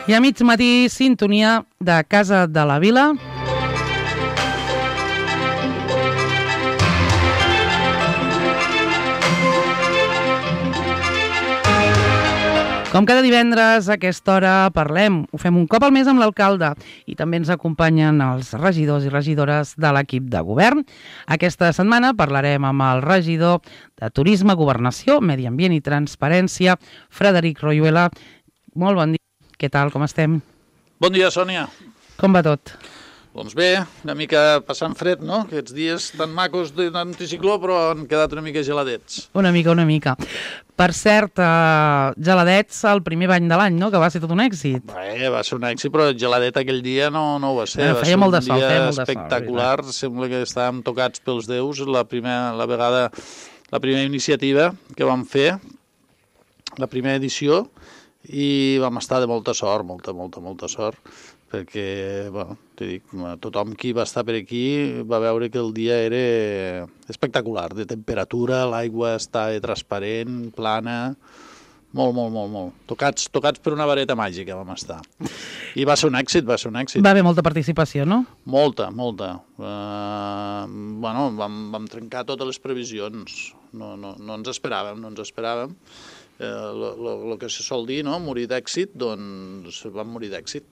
I a mig matí, sintonia de Casa de la Vila. Com cada divendres a aquesta hora parlem, ho fem un cop al mes amb l'alcalde i també ens acompanyen els regidors i regidores de l'equip de govern. Aquesta setmana parlarem amb el regidor de Turisme, Governació, Medi Ambient i Transparència, Frederic Royuela. Molt bon dia. Què tal, com estem? Bon dia, Sònia. Com va tot? Doncs bé, una mica passant fred, no? Aquests dies tan macos d'anticicló, però han quedat una mica geladets. Una mica. Per cert, geladets el primer bany de l'any, no? Que va ser tot un èxit. Bé, va ser un èxit, però geladet aquell dia no ho va ser. Feia molt de sol, feia molt de sol. Espectacular, sembla que estàvem tocats pels déus. La primera iniciativa que vam fer, la primera edició, i vam estar de molta sort, molta sort, perquè, bueno, t'he dit, tothom qui va estar per aquí va veure que el dia era espectacular, de temperatura, l'aigua estava transparent, plana, molt. Tocats per una vareta màgica vam estar. I va ser un èxit. Va haver molta participació, no? Molta. Bueno, vam trencar totes les previsions, no ens esperàvem. El que se sol dir, no? Morir d'èxit, doncs vam morir d'èxit.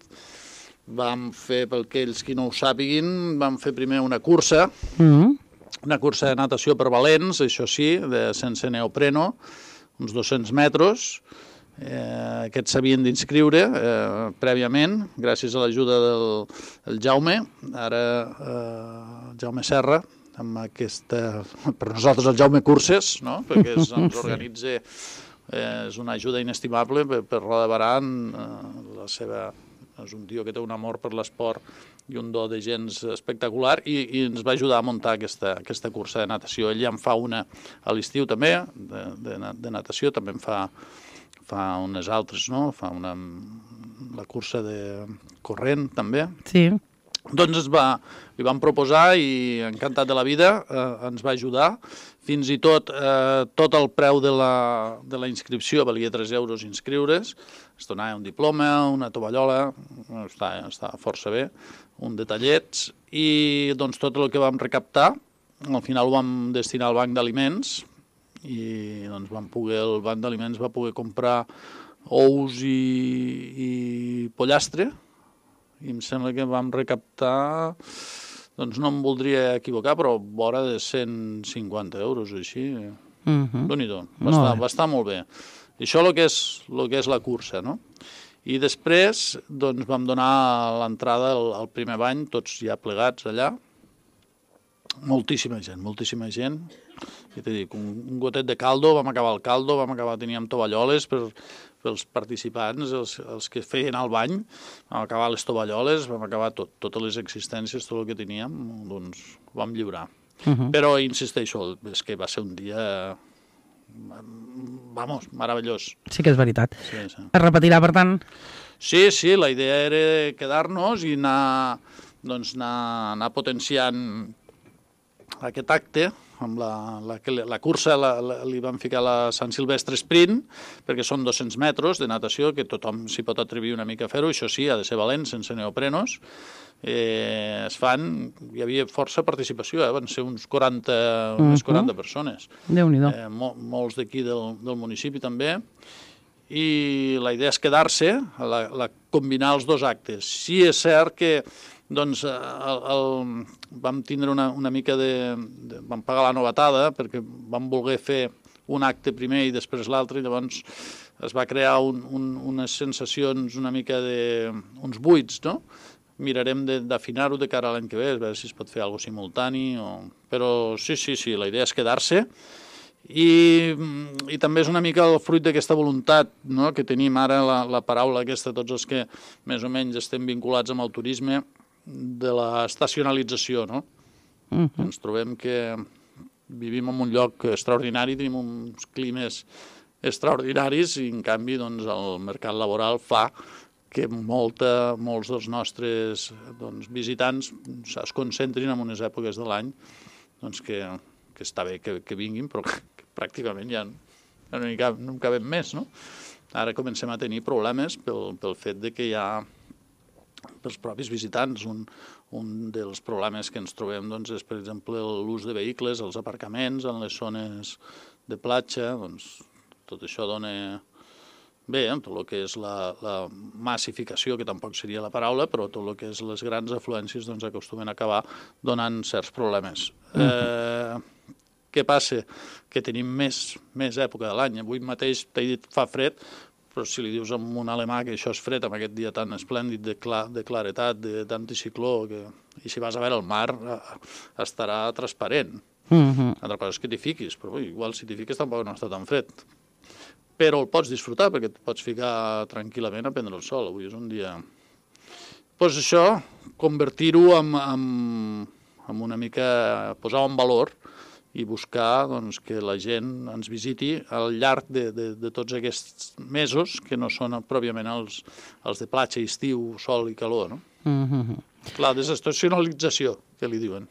Vam fer, per aquells qui no ho sàpiguin, vam fer primer una cursa, una cursa de natació per valents, això sí, sense neopreno, uns 200 metres. Aquests s'havien d'inscriure prèviament, gràcies a l'ajuda del Jaume, ara Jaume Serra, amb aquesta, per nosaltres el Jaume Curses, no? Perquè ens organitza, és una ajuda inestimable per Roda de Barà, és un tio que té un amor per l'esport i un do de gens espectacular i ens va ajudar a muntar aquesta cursa de natació. Ell ja en fa una a l'estiu també, de natació, també en fa unes altres, no? Fa la cursa de corrent també. Sí. Doncs li vam proposar i encantat de la vida ens va ajudar. Fins i tot el preu de la inscripció valia 3 euros inscriure's. Es donava un diploma, una tovallola, està força bé, un detallets, i doncs tot el que vam recaptar al final ho vam destinar al banc d'aliments i doncs el banc d'aliments va poder comprar ous i pollastre, i em sembla que vam recaptar, doncs no em voldria equivocar, però vora de 150 euros o així. Déu-n'hi-do, va estar molt bé. I això el que és la cursa, no? I després doncs vam donar l'entrada al primer bany, tots ja plegats allà. Moltíssima gent. I t'he dit, un gotet de caldo, vam acabar el caldo, teníem tovalloles pels participants, els que feien el bany, vam acabar les tovalloles, vam acabar totes les existències, tot el que teníem, doncs ho vam lliurar. Però insisteixo, és que va ser un dia, meravellós. Sí que és veritat. Sí. Es repetirà, per tant? Sí, la idea era quedar-nos i anar potenciant aquest acte. Amb la cursa li vam ficar la Sant Silvestre Sprint, perquè són 200 metres de natació, que tothom s'hi pot atrevir una mica a fer-ho, això sí, ha de ser valent, sense neoprenos. Hi havia força participació, van ser unes 40 persones. Déu-n'hi-do. Molts d'aquí del municipi també. I la idea és quedar-se, combinar els dos actes. Sí, és cert que doncs vam tindre una mica vam pagar la novetada perquè vam voler fer un acte primer i després l'altre, i llavors es va crear unes sensacions una mica uns buits, no? Mirarem d'afinar-ho de cara a l'any que ve, a veure si es pot fer alguna cosa simultani, però sí, la idea és quedar-se. I també és una mica el fruit d'aquesta voluntat, no? Que tenim ara, la paraula aquesta, tots els que més o menys estem vinculats amb el turisme, de l'estacionalització, no? Ens trobem que vivim en un lloc extraordinari, tenim uns climes extraordinaris i en canvi doncs, el mercat laboral fa que molts dels nostres visitants es concentrin en unes èpoques de l'any doncs, que està bé que vinguin, però que pràcticament ja no en cabem més, no? Ara comencem a tenir problemes pel fet de que hi ha pels propis visitants. Un dels problemes que ens trobem doncs, és, per exemple, l'ús de vehicles, els aparcaments en les zones de platja. Doncs, tot això dona... Bé, tot el que és la massificació, que tampoc seria la paraula, però tot el que és les grans afluències doncs, acostumen a acabar donant certs problemes. Què passa? Que tenim més època de l'any. Avui mateix t'he dit fa fred, però si li dius a un alemà que això és fred amb aquest dia tan esplèndid de claretat, d'anticicló, i si vas a veure el mar estarà transparent. Altra cosa és que t'hi fiquis, però igual si t'hi fiques tampoc no està tan fred. Però el pots disfrutar perquè et pots ficar tranquil·lament a prendre el sol. Avui és un dia... Doncs això, convertir-ho en una mica... posar-ho en valor i buscar doncs, que la gent ens visiti al llarg de tots aquests mesos, que no són pròpiament els de platja, estiu, sol i calor. No? La desestacionalització, que li diuen.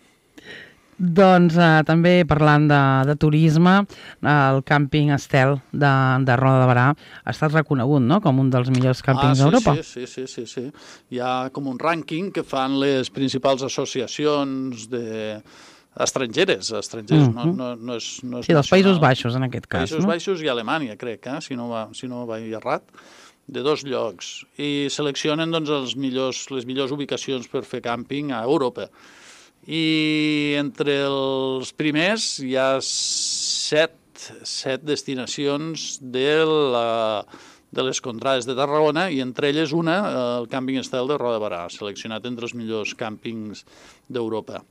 Doncs també parlant de turisme, el càmping Estel de Roda de Berà ha estat reconegut, no?, com un dels millors càmpings d'Europa. Sí. Hi ha com un rànquing que fan les principals associacions estrangeres, no és sí, dels Països Baixos, en aquest cas. Països Baixos i Alemanya, crec, si no vaig errat, de 2 llocs. I seleccionen doncs, les millors ubicacions per fer càmping a Europa. I entre els primers hi ha 7 destinacions de les contrades de Tarragona, i entre elles una, el càmping Estel de Roda de Berà, seleccionat entre els millors càmpings d'Europa.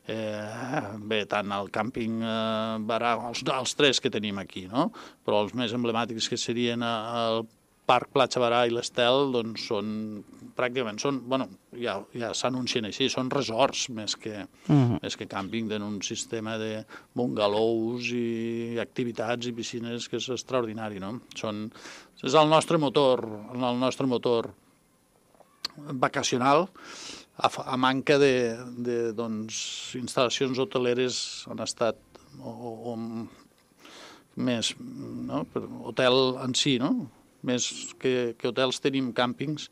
Bé, tant el càmping Berà, els 3 que tenim aquí, no? Però els més emblemàtics, que serien el Parc Platja Berà i l'Estel, doncs pràcticament ja s'anuncien així, són resorts més que càmping, tenen un sistema de bungalous i activitats i piscines que és extraordinari, no? És el nostre motor vacacional, a manca de instal·lacions hoteleres en estat o més, no? Hotel en si, no? Més que hotels tenim càmpings.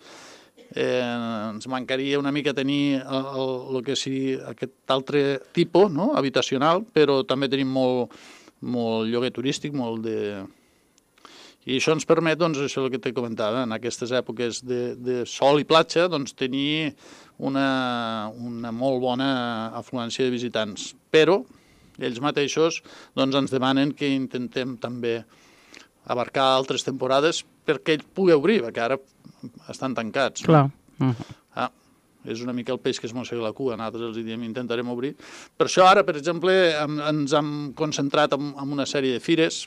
Ens mancaria una mica tenir el que sigui aquest altre tipus, no?, habitacional, però també tenim molt lloguer turístic, I això ens permet, doncs, això és el que te comentava, en aquestes èpoques de sol i platja, doncs, tenir una molt bona afluència de visitants. Però ells mateixos doncs, ens demanen que intentem també abarcar altres temporades perquè ell pugui obrir, perquè ara estan tancats. Clar. És una mica el peix que es mossega la cua, nosaltres els diem intentarem obrir. Per això ara, per exemple, ens hem concentrat en una sèrie de fires,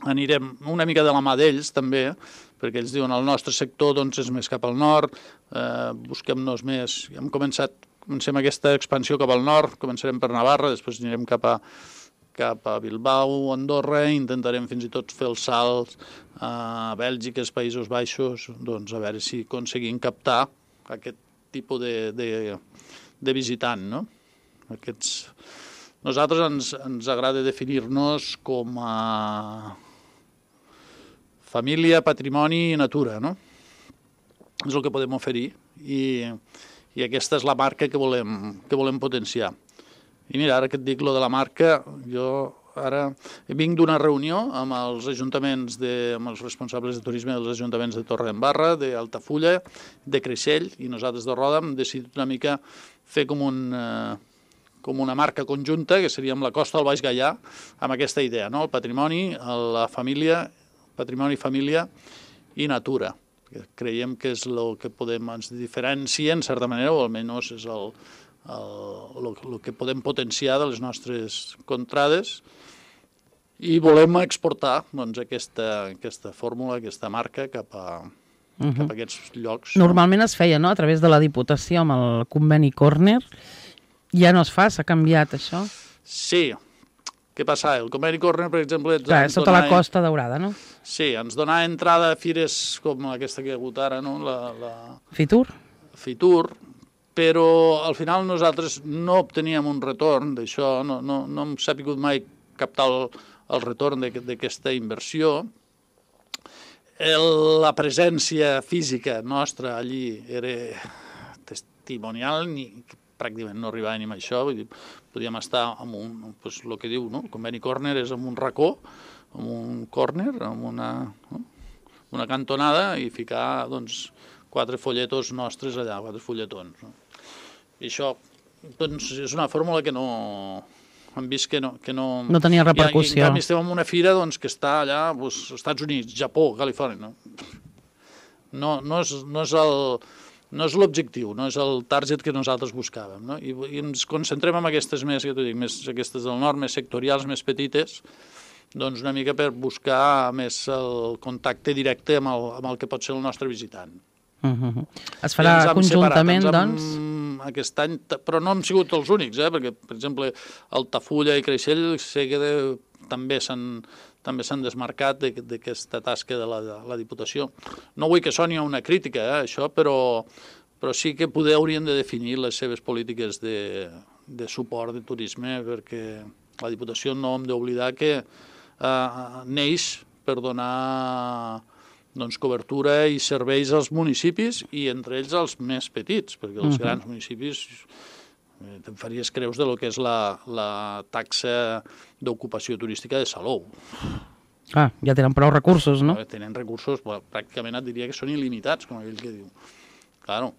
anirem una mica de la mà d'ells també, perquè ells diuen el nostre sector doncs, és més cap al nord, busquem-nos més, comencem aquesta expansió cap al nord, començarem per Navarra, després anirem cap a Bilbao, Andorra, intentarem fins i tot fer els salts a Bèlgica, als Països Baixos, doncs a veure si aconseguim captar aquest tipus de visitant, no? Nosaltres ens agrada definir-nos com a família, patrimoni i natura, no? És el que podem oferir i aquesta és la marca que volem potenciar. I mira, ara que et dic lo de la marca, jo ara vinc d'una reunió amb els ajuntaments, amb els responsables de turisme dels ajuntaments de Torredembarra, d'Altafulla, de Creixell, i nosaltres de Roda hem decidit una mica fer com una marca conjunta, que seria amb la Costa del Baix Gaià, amb aquesta idea, no? El patrimoni, la família, patrimoni, família i natura. Creiem que és el que ens diferencia, en certa manera, o almenys és el que podem potenciar de les nostres contrades, i volem exportar doncs, aquesta fórmula, aquesta marca cap a aquests llocs. Normalment es feia, no?, a través de la Diputació amb el conveni Corner. Ja no es fa? S'ha canviat això? Sí. Què passa? El conveni Corner, per exemple... Clar, sota la Costa Daurada, no? Sí, ens dona entrada a fires com aquesta que hi ha hagut ara, no? Fitur? Fitur, però al final nosaltres no obteníem un retorn d'això, no hem sabut mai captar el retorn d'aquesta inversió. la presència física nostra allí era testimonial, pràcticament no arribava ni amb això, vull dir, podíem estar amb el que diu, no? El conveni córner és amb un racó, amb un córner, amb una cantonada i ficar, doncs, 4 folletos nostres allà, 4 fulletons. No? I això, doncs, és una fórmula que no... Hem vist que no tenia repercussió. I en canvi estem en una fira doncs, que està allà, doncs, als Estats Units, Japó, Califòrnia. No és l'objectiu, no és el target que nosaltres buscàvem. No? I ens concentrem en aquestes més, que t'ho dic, més aquestes del nord, més sectorials, més petites, doncs una mica per buscar més el contacte directe amb el que pot ser el nostre visitant. Es farà conjuntament, doncs? Aquest any, però no hem sigut els únics, perquè, per exemple, Altafulla i Creixell sé que també s'han desmarcat d'aquesta tasca de la Diputació. No vull que soni una crítica, això, però sí que poder haurien de definir les seves polítiques de suport de turisme, perquè la Diputació no hem d'oblidar que neix per donar cobertura i serveis als municipis i entre ells els més petits, perquè els grans municipis te'n faries creus de lo que és la taxa d'ocupació turística de Salou. Ja tenen prou recursos, no? Tenen recursos, pràcticament et diria que són il·limitats, com aquell que diu. Claro,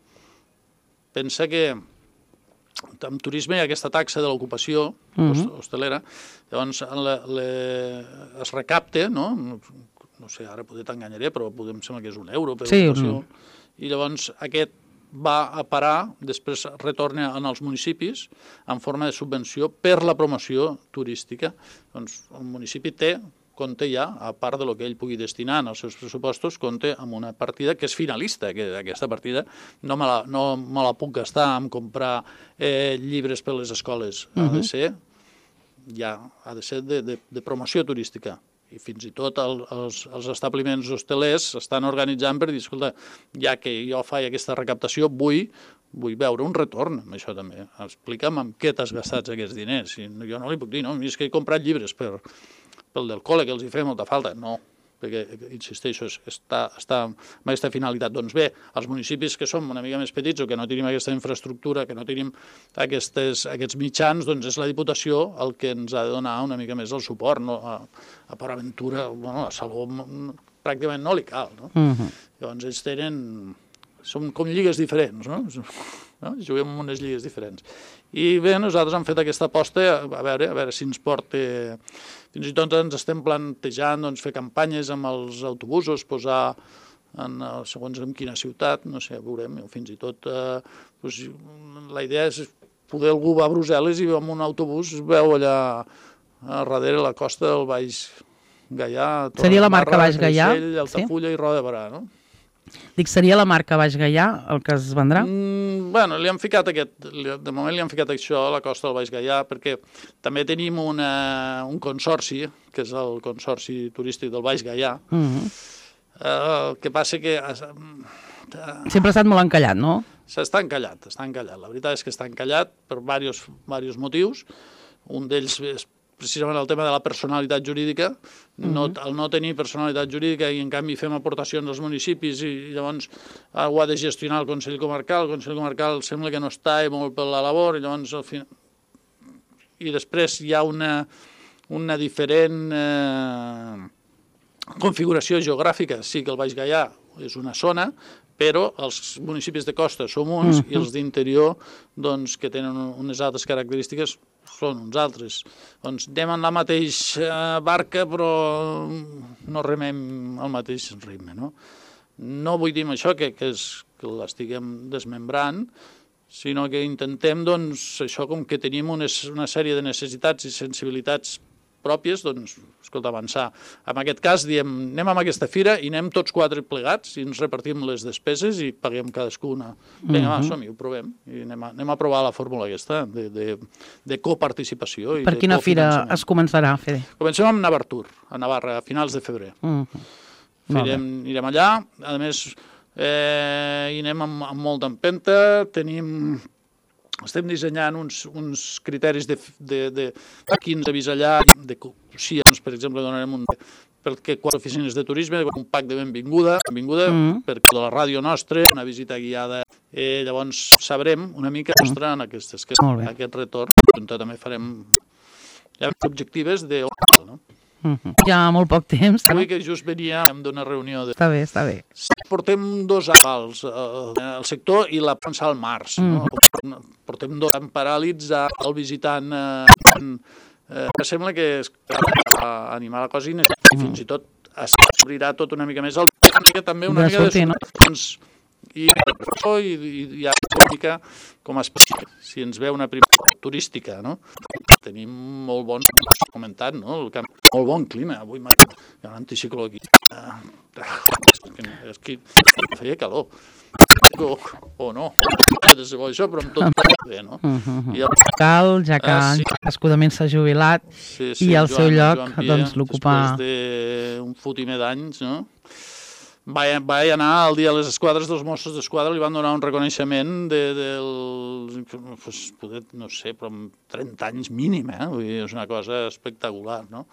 pensa que en turisme hi ha aquesta taxa de l'ocupació hostelera, llavors es recapta, no sé, ara potser t'enganyaré, però em sembla que és €1 per ocupació, i llavors aquest va a parar, després retorna als municipis en forma de subvenció per la promoció turística. Doncs el municipi compta ja, a part del que ell pugui destinar en els seus pressupostos, compta amb una partida que és finalista, que aquesta partida no me la puc gastar en comprar llibres per les escoles, ha de ser de promoció turística. I fins i tot els establiments hostelers s'estan organitzant per dir, escolta, ja que jo faig aquesta recaptació, vull veure un retorn amb això també. Explica'm amb què t'has gastat aquests diners. Jo no li puc dir, no, és que he comprat llibres pel del col·le, que els hi feia molta falta. No, perquè, insisteixo, està amb aquesta finalitat. Doncs bé, els municipis que som una mica més petits o que no tenim aquesta infraestructura, que no tenim aquests mitjans, doncs és la Diputació el que ens ha de donar una mica més el suport. A Port Aventura, a Salou, pràcticament no li cal. Llavors ells són com lligues diferents, no? Juguem en unes lligues diferents. I bé, nosaltres hem fet aquesta aposta, a veure si ens porta... Fins i tot ens estem plantejant fer campanyes amb els autobusos, posar segons en quina ciutat, no sé, veurem, fins i tot la idea és poder algú va a Brussel·les i amb un autobús veu allà a darrere la costa del Baix Gaià. Seria la marca Baix Gaià? Altafulla i Roda de Berà, no? Dic, seria la marca Baix Gaià el que es vendrà? Bueno, de moment li han ficat això a la costa del Baix Gaià, perquè també tenim un consorci, que és el Consorci Turístic del Baix Gaià. El que passa que... Sempre ha estat molt encallat, no? Està encallat. La veritat és que està encallat per diversos motius. Un d'ells és precisament el tema de la personalitat jurídica, el no tenir personalitat jurídica i en canvi fem aportacions als municipis i llavors ho ha de gestionar el Consell Comarcal sembla que no està molt per la labor i llavors i després hi ha una diferent configuració geogràfica. Sí que el Baix Gaià és una zona, però els municipis de costa som uns i els d'interior, doncs, que tenen unes altres característiques, són uns altres. Doncs anem en la mateixa barca, però no remem al mateix ritme, no? No vull dir amb això que l'estiguem desmembrant, sinó que intentem, doncs, això com que tenim una sèrie de necessitats i sensibilitats pròpies, doncs, escolta, avançar. En aquest cas, diem, anem amb aquesta fira i anem tots 4 plegats i ens repartim les despeses i paguem cadascuna. Vinga, va, som-hi, ho provem. I anem a provar la fórmula aquesta de coparticipació. Per quina fira es començarà, Fede? Comencem amb Navartur, a Navarra, a finals de febrer. Anirem allà, a més, hi anem amb molta empenta, estem dissenyant uns criteris de quins avís allà, de coccions, per exemple, donarem perquè 4 oficines de turisme, un pack de benvinguda perquè de la ràdio nostra, una visita guiada. Llavors sabrem una mica en aquest retorn. També farem objectives de... no? Ja molt poc temps. Avui que just veníem d'una reunió... Està bé, està bé. Portem 2 avals, el sector i la pensa al març. No? Portem 2 en paràlits al visitant... sembla que animar la cosa i fins i tot s'obrirà tot una mica més. També una mica de i hi ha una mica com si ens ve una primera turística, no? Tenim molt bons, comentat, no? El camp, molt bon clima, avui hi ha un anticicló aquí. És que feia calor. O no, això, però amb tot bé, no? Cal, ja que escudament s'ha jubilat i al seu lloc l'ocupar... Després d'un fotimer d'anys, no? Vaig anar el dia a les esquadres dels Mossos d'Esquadra, li van donar un reconeixement no sé, però amb 30 anys mínim, vull dir, és una cosa espectacular, no?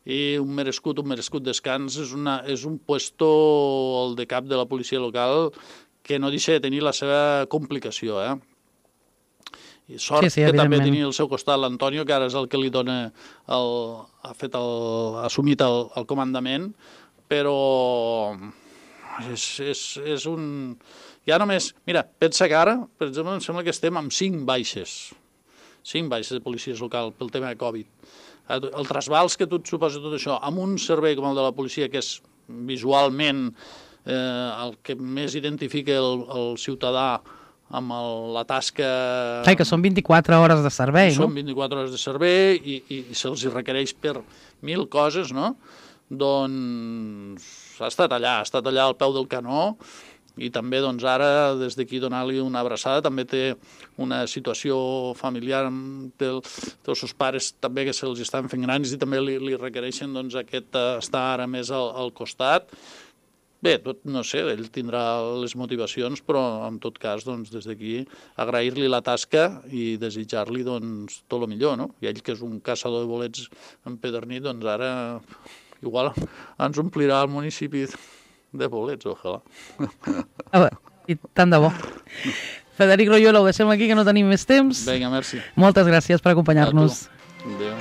I un merescut descans, és un puesto, el de cap de la policia local, que no deixa de tenir la seva complicació, I sort que també tenia al seu costat l'Antonio, que ara és el que li dona, ha assumit el comandament, però és un... Ja només... Mira, pensa que ara, per exemple, em sembla que estem amb 5 baixes de policies local pel tema de Covid. El trasbals que tu et suposa tot això, amb un servei com el de la policia, que és visualment el que més identifica el ciutadà amb la tasca... Que són 24 hores de servei, no? Són 24 hores de servei i se'ls requereix per 1000 coses, no? Doncs ha estat allà al peu del canó i també doncs ara des d'aquí donar-li una abraçada. També té una situació familiar amb els seus pares també que se'ls estan fent grans i també li requereixen doncs aquest estar ara més al costat. Bé, no sé, ell tindrà les motivacions, però en tot cas doncs des d'aquí agrair-li la tasca i desitjar-li doncs tot el millor, no? I ell que és un caçador de bolets empedernit, doncs ara igual ens omplirà el municipi de bolets, ojalà. I tant de bo. Frederic Royola, ho deixem aquí, que no tenim més temps. Vinga, merci. Moltes gràcies per acompanyar-nos. Adéu.